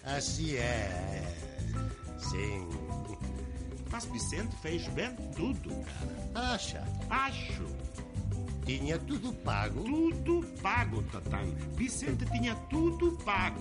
Así é. Sim. Mas Vicente fez bem tudo, cara. Acha? Acho. Tinha tudo pago? Tudo pago, Tatán. Vicente tinha tudo pago.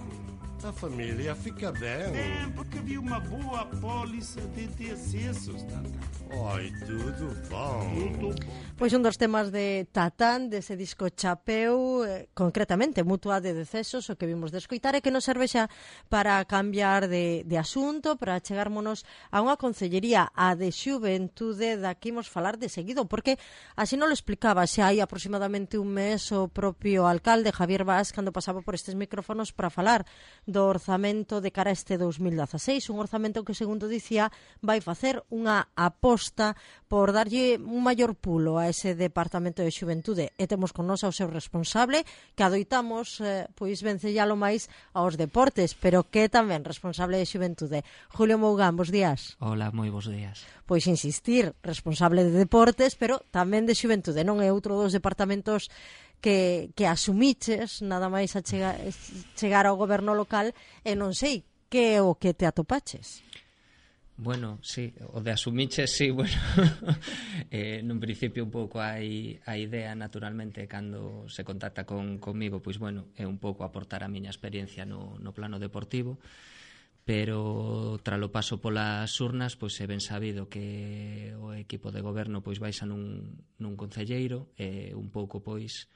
A família fica bem. É, porque havia uma boa apólice de excessos, Tatán. Oi, tudo bom. Tudo bom. Pois un dos temas de Tatán, dese disco Chapeu, concretamente Mutua de Decesos, o que vimos de escoitar, e que nos serve xa para cambiar de asunto, para chegármonos a unha concellería, a de Xuventude, da que imos falar de seguido, porque así non lo explicaba xa hai aproximadamente un mes o propio alcalde Javier Vaz cando pasaba por estes micrófonos para falar do orzamento de cara a este 2016, un orzamento que, segundo dicía, vai facer unha aposta por darlle un maior pulo a ese departamento de Xuventude, e temos con nos ao seu responsable, que adoitamos pois vencellalo máis aos deportes, pero que tamén responsable de Xuventude. Julio Mougán, bos días. Hola, moi bos días. Pois insistir, responsable de deportes, pero tamén de Xuventude, non é outro dos departamentos que asumiches nada máis a chegar ao goberno local, e non sei que é o que te atopaches. Bueno, sí, o de asumiches, sí, bueno, nun principio un pouco hai a idea, naturalmente, cando se contacta conmigo, pois, bueno, é un pouco aportar a miña experiencia no plano deportivo, pero tralo paso polas urnas, pois é ben sabido que o equipo de goberno pois baixa nun concelleiro, e un pouco, pois,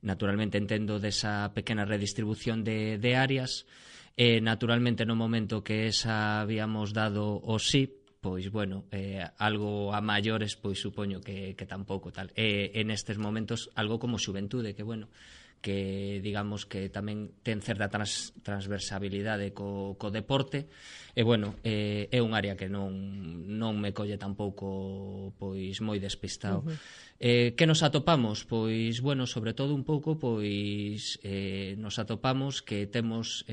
naturalmente entendo desa pequena redistribución de áreas, e naturalmente no momento que esa habíamos dado o sí, pois bueno, algo a maiores pois supoño que tampouco tal. En estes momentos algo como Xuventude, que bueno, que digamos que tamén ten certa transversabilidade co deporte, e bueno, é un área que non me colle tampouco pois moi despistado. Que nos atopamos? Pois, bueno, sobre todo un pouco, pois nos atopamos que temos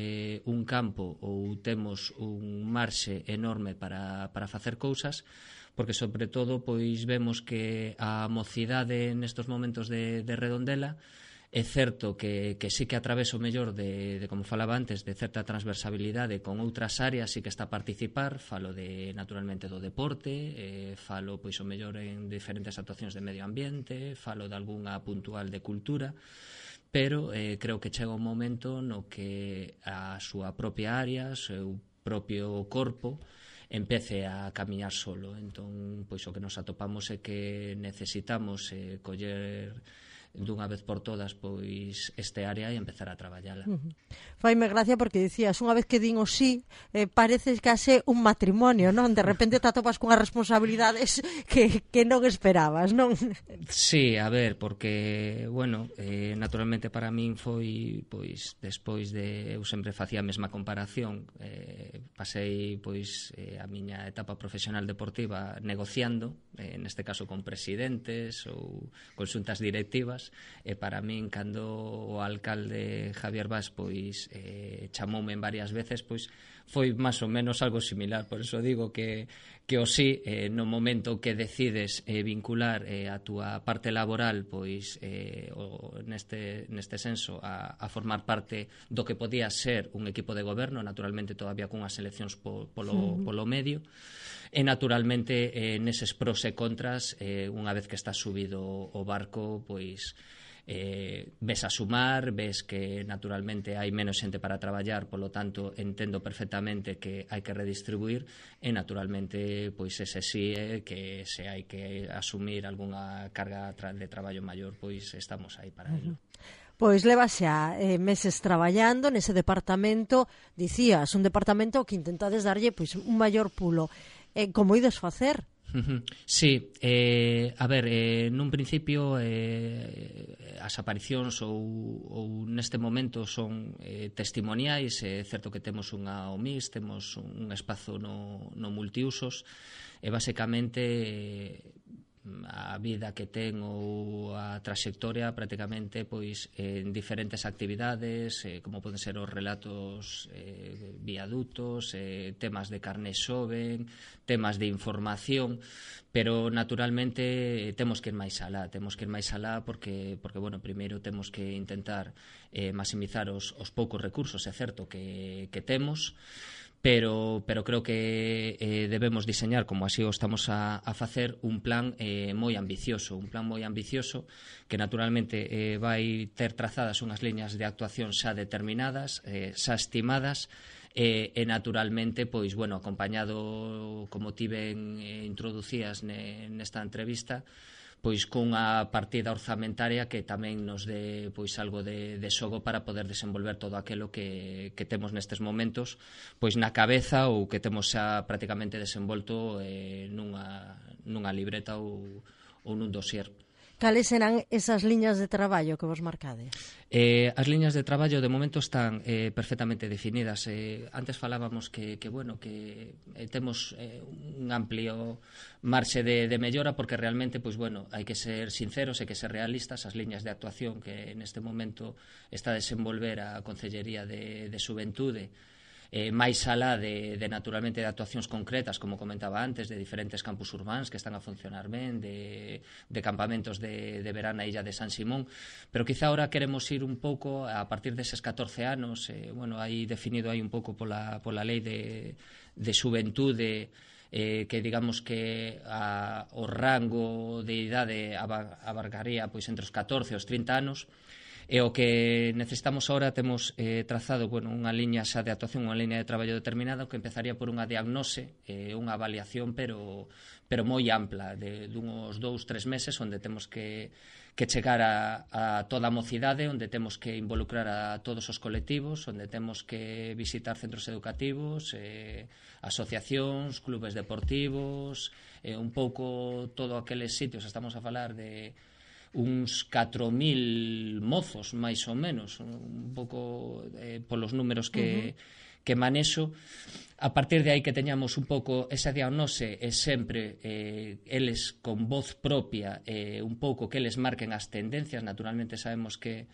un campo ou temos un marxe enorme para facer cousas, porque sobre todo pois vemos que a mocidade nestos momentos de Redondela é certo que sí que a través o mellor de como falaba antes, de certa transversabilidade con outras áreas, sí que está a participar, falo de naturalmente do deporte, falo pois o mellor en diferentes actuacións de medio ambiente, falo de algunha puntual de cultura, pero creo que chega un momento no que a súa propia área, o seu propio corpo empece a camiñar solo. Entón, pois o que nos atopamos é que necesitamos coller dunha vez por todas pois este área e empezar a traballala. Faime gracia porque dicías, unha vez que din o sí, parece case un matrimonio, non? De repente te atopas cunhas responsabilidades que non esperabas, non? Sí, a ver, porque, bueno, naturalmente para min foi, pois, despois de, eu sempre facía a mesma comparación, pasei, pois, a miña etapa profesional deportiva negociando, neste caso con presidentes ou con xuntas directivas, e para min, cando o alcalde Javier Vaz pois chamoume varias veces, pois foi máis ou menos algo similar. Por eso digo que o sí, no momento que decides vincular a túa parte laboral, pois neste senso a formar parte do que podía ser un equipo de goberno, naturalmente todavía cunhas eleccións polo medio, e naturalmente neses pros e contras, unha vez que estás subido o barco, pois ves a sumar, ves que naturalmente hai menos xente para traballar, polo tanto entendo perfectamente que hai que redistribuir, e naturalmente pois ese sí é que se hai que asumir algunha carga de traballo maior, pois estamos aí para ello. Pois leva xa meses traballando nese departamento, dicías, un departamento que intentades darlle pois un maior pulo. Como ides facer? Sí, a ver, nun principio as aparicións ou neste momento son testimoniais. É certo que temos unha OMIS, temos un espazo no multiusos, e basicamente a vida que ten ou a traxectoria prácticamente pois en diferentes actividades, como poden ser os relatos viadutos, temas de carné xoven, temas de información, pero naturalmente temos que ir máis alá, porque bueno, primeiro temos que intentar maximizar os poucos recursos, é certo que temos, pero creo que debemos diseñar, como así o estamos a facer, un plan moi ambicioso, que naturalmente vai ter trazadas unhas liñas de actuación xa determinadas, xa estimadas, e naturalmente, pois, bueno, acompañado, como tiven introducías nesta entrevista, pois cunha partida orzamentaria que tamén nos dé pois algo de xogo para poder desenvolver todo aquilo que temos nestes momentos pois na cabeza ou que temos xa prácticamente desenvolto nunha libreta ou nun dossier. Cales serán esas liñas de traballo que vos marcades? As liñas de traballo de momento están perfectamente definidas. Antes falábamos que temos un amplio marxe de mellora, porque realmente, pois bueno, hai que ser sinceros e que ser realistas. As liñas de actuación que neste momento está a desenvolver a Concellería de Xuventude, máis alá de naturalmente de actuacións concretas, como comentaba antes, de diferentes campus urbáns que están a funcionar ben, de campamentos de verán na illa de San Simón, pero quizá ahora queremos ir un pouco a partir deses 14 anos, bueno, aí definido aí un pouco pola lei de xuventude, que digamos que o rango de idade abarcaría pois entre os 14 e os 30 anos. E o que necesitamos agora, temos trazado unha liña xa de actuación, unha liña de traballo determinada, que empezaría por unha diagnose, unha avaliación, pero moi ampla, de uns 2-3 meses, onde temos que chegar a toda a mocidade, onde temos que involucrar a todos os colectivos, onde temos que visitar centros educativos, asociacións, clubes deportivos, un pouco todo aqueles sitios. Estamos a falar de uns 4.000 mozos, máis ou menos, un pouco polos números que manexo. A partir de aí que teñamos un pouco esa diagnose e sempre eles con voz propia, un pouco que eles marquen as tendencias. Naturalmente sabemos que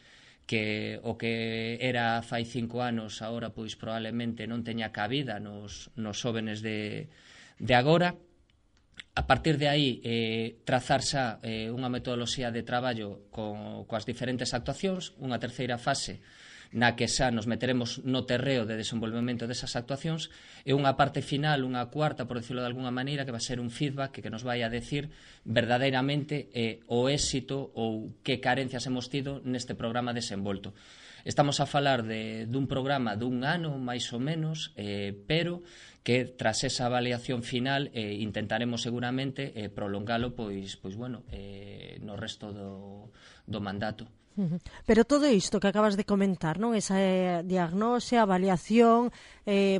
o que era fai 5 anos agora pois probablemente non teña cabida nos xóvenes de agora. A partir de aí, trazar xa unha metodoloxía de traballo coas diferentes actuacións, unha terceira fase na que xa nos meteremos no terreo de desenvolvemento desas actuacións, e unha parte final, unha cuarta, por decirlo de alguna maneira, que vai ser un feedback que nos vai a decir verdadeiramente o éxito ou que carencias hemos tido neste programa desenvolto. Estamos a falar dun programa dun ano, máis ou menos, pero que tras esa avaliación final intentaremos seguramente prolongalo pois bueno, no resto do mandato. Pero todo isto que acabas de comentar, non? Esa diagnose, avaliación,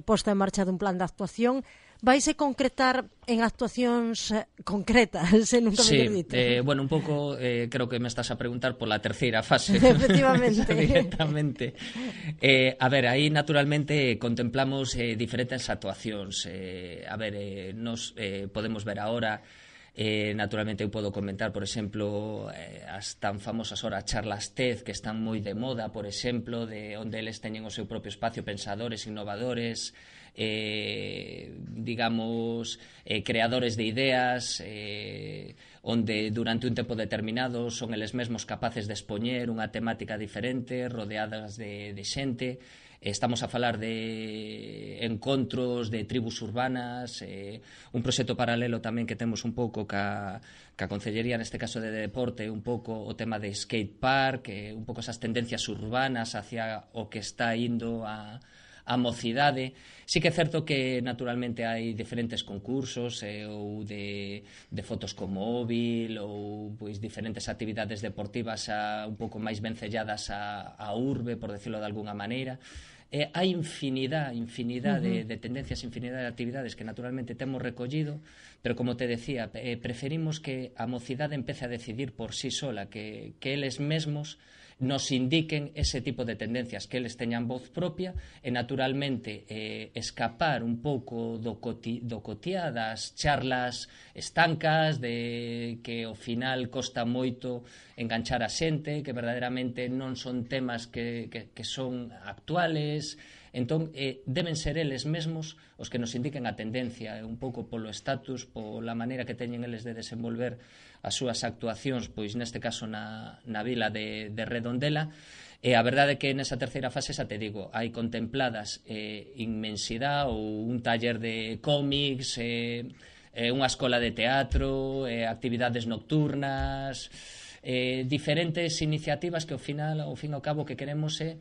posta en marcha dun plan de actuación, vaise concretar en actuacións concretas, nunca me dito. Bueno, un pouco creo que me estás a preguntar pola terceira fase. Efectivamente. Directamente. A ver, aí naturalmente contemplamos diferentes actuacións. Nos podemos ver agora, naturalmente eu podo comentar, por exemplo, as tan famosas horas charlas TED, que están moi de moda, por exemplo, de onde eles teñen o seu propio espacio, pensadores, innovadores, digamos, creadores de ideas, onde durante un tempo determinado son eles mesmos capaces de expoñer unha temática diferente, rodeadas de xente. Estamos a falar de encontros de tribus urbanas, un proxecto paralelo tamén que temos un pouco ca Concellería, neste caso de deporte, un pouco o tema de skate park, un pouco esas tendencias urbanas hacia o que está indo a mocidade. Sí que é certo que naturalmente hai diferentes concursos ou de fotos con móvil ou pois diferentes actividades deportivas un pouco máis vencelladas a urbe, por decirlo de alguna maneira. Hai infinidade de tendencias, infinidade de actividades que naturalmente temos recollido, pero como te decía, preferimos que a mocidade empece a decidir por sí sola, que eles mesmos nos indiquen ese tipo de tendencias, que eles teñan voz propia e, naturalmente, escapar un pouco do cotiá, das charlas estancas, de que ao final costa moito enganchar a xente, que verdadeiramente non son temas que son actuales. Entón, deben ser eles mesmos os que nos indiquen a tendencia, un pouco polo estatus, pola maneira que teñen eles de desenvolver as súas actuacións, pois neste caso na vila de Redondela. E a verdade é que nesa terceira fase, xa te digo, hai contempladas inmensidade ou un taller de cómics, unha escola de teatro, actividades nocturnas, diferentes iniciativas que ao fin e ao cabo que queremos é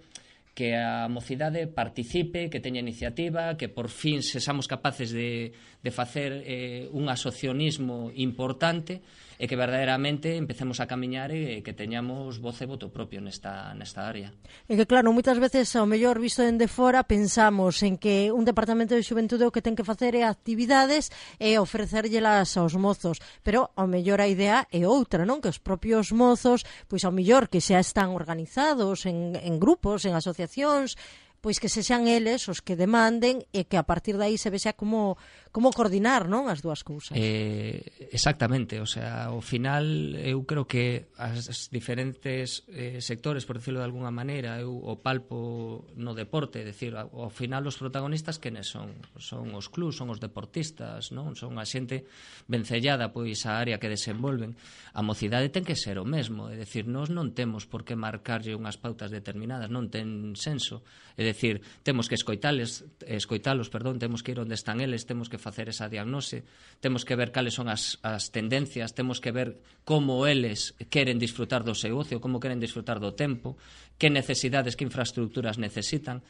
que a mocidade participe, que teña iniciativa, que por fin sexamos capaces de facer un asociacionismo importante e que verdadeiramente empecemos a camiñar e que teñamos voz e voto propio nesta área. E que claro, moitas veces ao mellor visto dende fora pensamos en que un departamento de xuventude o que ten que facer é actividades e ofrecerllelas aos mozos, pero ao mellor a idea é outra, non? Que os propios mozos, pois ao mellor que xa están organizados en grupos, en asociacións, pois que sexan eles os que demanden e que a partir de aí se vexa como coordinar, non, as dúas cousas. Exactamente, o sea, ao final eu creo que as diferentes sectores, por decirlo de alguna maneira, eu o palpo no deporte, é dicir, ao final os protagonistas quenes son? Son os clubs, son os deportistas, non? Son a xente vencellada pois a área que desenvolven. A mocidade ten que ser o mesmo, é dicir, nós non temos por que marcarlle unhas pautas determinadas, non ten senso. É dicir, temos que escoitalos, temos que ir onde están eles, temos que facer esa diagnose, temos que ver cales son as tendencias, temos que ver como eles queren disfrutar do seu ocio, como queren disfrutar do tempo, que necesidades, que infraestructuras necesitan.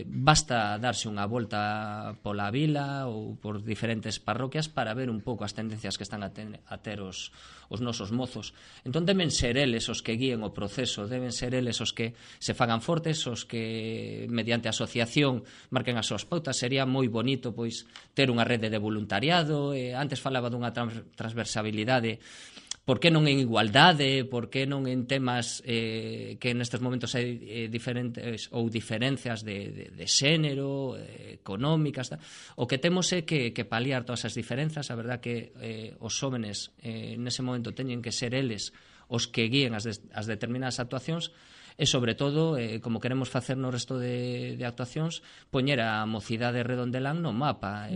Basta darse unha volta pola vila ou por diferentes parroquias para ver un pouco as tendencias que están a ter os nosos mozos. Entón deben ser eles os que guíen o proceso, deben ser eles os que se fagan fortes, os que mediante asociación marquen as súas pautas. Sería moi bonito pois ter unha rede de voluntariado, antes falaba dunha transversabilidade. Por que non en igualdade, por que non en temas que nestes momentos hai diferentes ou diferencias de xénero, económicas, tal. O que temos é que paliar todas as diferenzas. A verdad que os xóvenes nese momento teñen que ser eles os que guíen as determinadas actuacións e, sobre todo, como queremos facer no resto de actuacións, poñer a mocidade redondelán no mapa.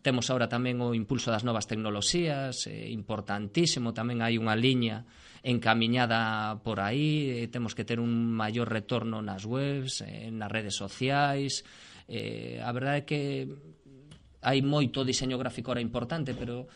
Temos agora tamén o impulso das novas tecnoloxías, importantísimo, tamén hai unha liña encamiñada por aí, temos que ter un maior retorno nas webs, nas redes sociais. A verdade é que hai moito diseño gráfico ahora importante, pero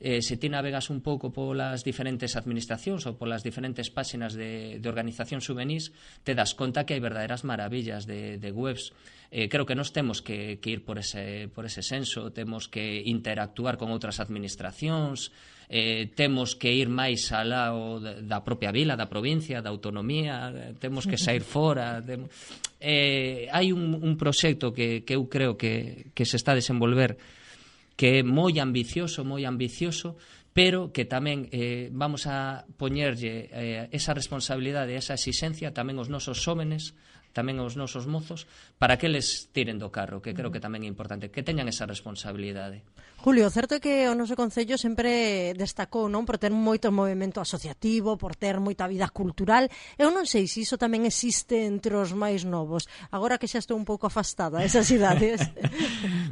se ti navegas un pouco polas diferentes administracións ou polas diferentes páxinas de organizacións juvenís, te das conta que hai verdadeiras maravillas de webs. Creo que nos temos que ir por ese senso, temos que interactuar con outras administracións, temos que ir máis alá da propia vila, da provincia, da autonomía, temos que sair fora. Hai un proxecto que eu creo que se está a desenvolver que é moi ambicioso, pero que tamén vamos a poñerlle esa responsabilidade, esa exigencia tamén aos nosos xóvenes, tamén aos nosos mozos, para que eles tiren do carro, que creo que tamén é importante, que teñan esa responsabilidade. Julio, certo é que o noso Concello sempre destacou, non, por ter moito movimento asociativo, por ter moita vida cultural. Eu non sei se iso tamén existe entre os máis novos, agora que xa estou un pouco afastada desas idades.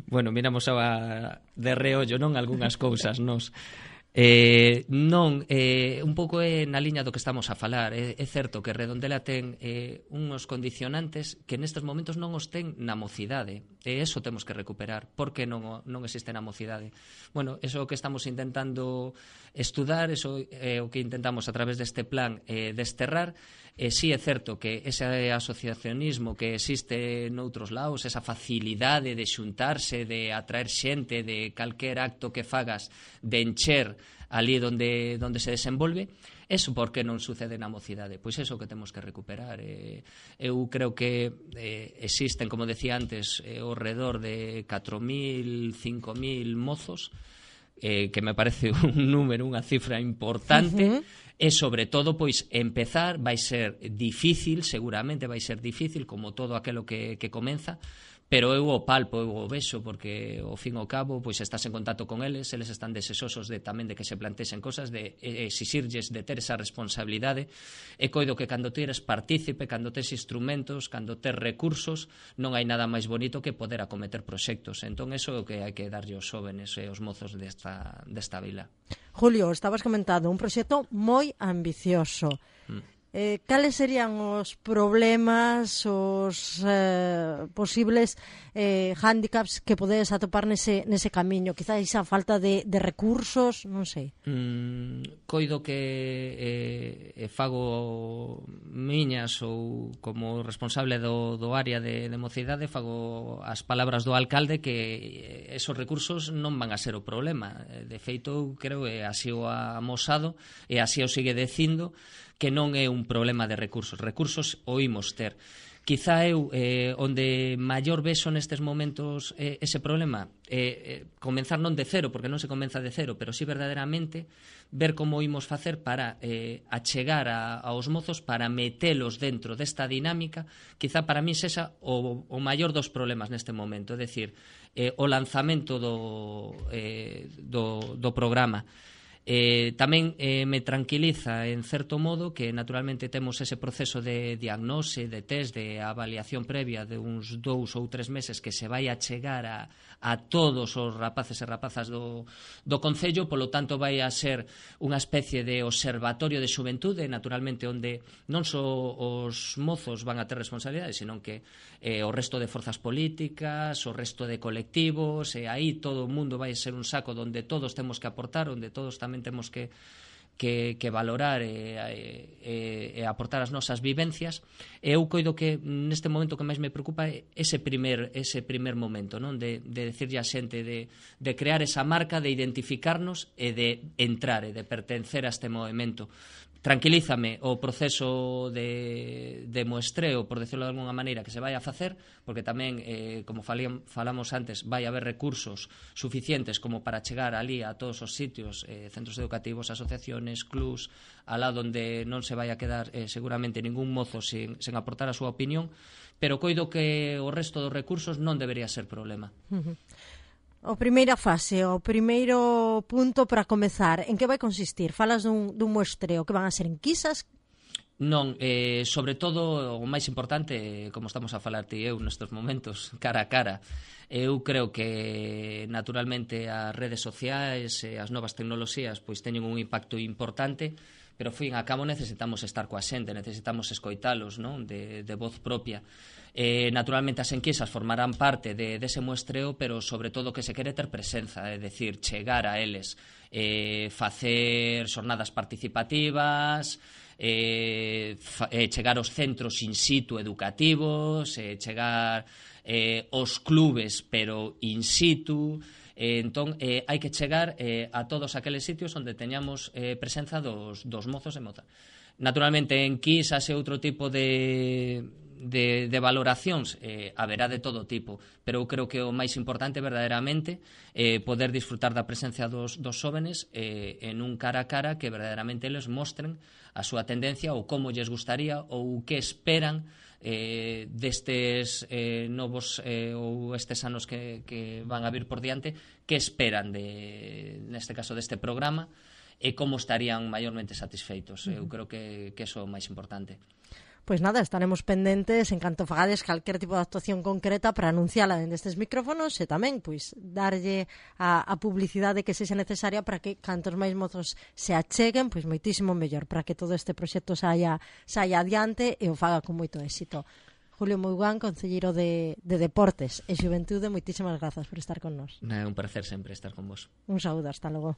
Bueno, miramos de reollo, non, algunhas cousas, nos. Un pouco é na liña do que estamos a falar. É certo que Redondela ten uns condicionantes que nestes momentos non os ten na mocidade, e eso temos que recuperar. Por que non existe na mocidade? Bueno, eso é o que estamos intentando estudar, eso é o que intentamos a través deste plan desterrar. Sí é certo que ese asociacionismo que existe noutros lados, esa facilidade de xuntarse, de atraer xente, de calquer acto que fagas, de encher ali onde se desenvolve, eso por que non sucede na mocidade? Pois eso que temos que recuperar. Eu creo que existen, como decía antes, ao redor de 4.000, 5.000 mozos que me parece un número, unha cifra importante, e sobre todo, pois, empezar vai ser difícil, seguramente vai ser difícil, como todo aquilo que comeza, pero eu o palpo, eu o vexo, porque ao fin e ao cabo pois estás en contacto con eles están desesosos tamén de que se plantexen cosas, de exixirlles de ter esa responsabilidade, e coido que cando ti eres partícipe, cando tes instrumentos, cando tes recursos, non hai nada máis bonito que poder acometer proxectos. Entón, eso é o que hai que darlle aos xóvenes e aos mozos desta vila. Julio, estabas comentando un proxecto moi ambicioso. Cales serían os problemas, os posibles hándicaps que podedes atopar nese camiño? Quizás a falta de recursos, non sei. Coido que fago miñas, ou como responsable do área de mocidade, fago as palabras do alcalde, que esos recursos non van a ser o problema. De feito, creo que así o ha amosado e así o sigue dicindo, que non é un problema de recursos. Recursos o imos ter. Quizá eu, onde maior vexo nestes momentos ese problema, comenzar non de cero, porque non se comeza de cero, pero sí verdadeiramente ver como imos facer para achegar aos mozos, para metelos dentro desta dinámica. Quizá para mí sexa o maior dos problemas neste momento, é dicir, o lanzamento do programa. Tamén me tranquiliza en certo modo que naturalmente temos ese proceso de diagnose, de test, de avaliación previa de uns 2 ou 3 meses que se vai a chegar a todos os rapaces e rapazas do Concello, polo tanto vai a ser unha especie de observatorio de xuventude, naturalmente onde non só os mozos van a ter responsabilidades, sino que o resto de forzas políticas, o resto de colectivos, e aí todo o mundo vai a ser un saco onde todos temos que aportar, onde todos tamén temos que valorar e aportar as nosas vivencias. E eu coido que neste momento que máis me preocupa é ese primer momento, non? De decirlle a xente, de crear esa marca, de identificarnos e de entrar e de pertencer a este movimento. Tranquilízame o proceso de muestreo, por decirlo de alguna maneira, que se vai a facer, porque tamén, como falamos antes, vai haber recursos suficientes como para chegar ali a todos os sitios, centros educativos, asociaciones, clubs, alá onde non se vai a quedar seguramente ningún mozo sen aportar a súa opinión, pero coido que o resto dos recursos non debería ser problema. O primeira fase, o primeiro punto para comezar, en que vai consistir? Falas dun muestreo, que van a ser enquisas? Non, sobre todo o máis importante, como estamos a falar ti e eu nestes momentos, cara a cara. Eu creo que naturalmente as redes sociais e as novas tecnoloxías pois teñen un impacto importante, pero, fin a cabo, necesitamos estar coa xente, necesitamos escoitalos, non? De voz propia. Naturalmente as enquisas formarán parte dese muestreo, pero sobre todo que se quere ter presenza, é dicir, chegar a eles, facer xornadas participativas, chegar aos centros in situ educativos, chegar aos clubes pero in situ. Entón, hai que chegar a todos aqueles sitios onde teñamos presenza dos mozos e mozas. Naturalmente, en enquisas e outro tipo de valoracións haberá de todo tipo, pero eu creo que o máis importante verdadeiramente poder disfrutar da presencia dos xóvenes en un cara a cara que verdadeiramente eles mostren a súa tendencia ou como lles gustaría ou que esperan destes novos ou estes anos que van a vir por diante, que esperan neste caso deste programa e como estarían maiormente satisfeitos. Eu creo que eso é o máis importante. Pois nada, estaremos pendentes en canto fagades calquer tipo de actuación concreta para anunciala dende estes micrófonos e tamén pois darlle a publicidade que sexa necesaria para que cantos máis mozos se acheguen, pois moitísimo mellor, para que todo este proxecto saia adiante e o faga con moito éxito. Julio Mougán, concelleiro de Deportes e Xuventude, moitísimas grazas por estar con nós. É un placer sempre estar con vos. Un saúdo, hasta logo.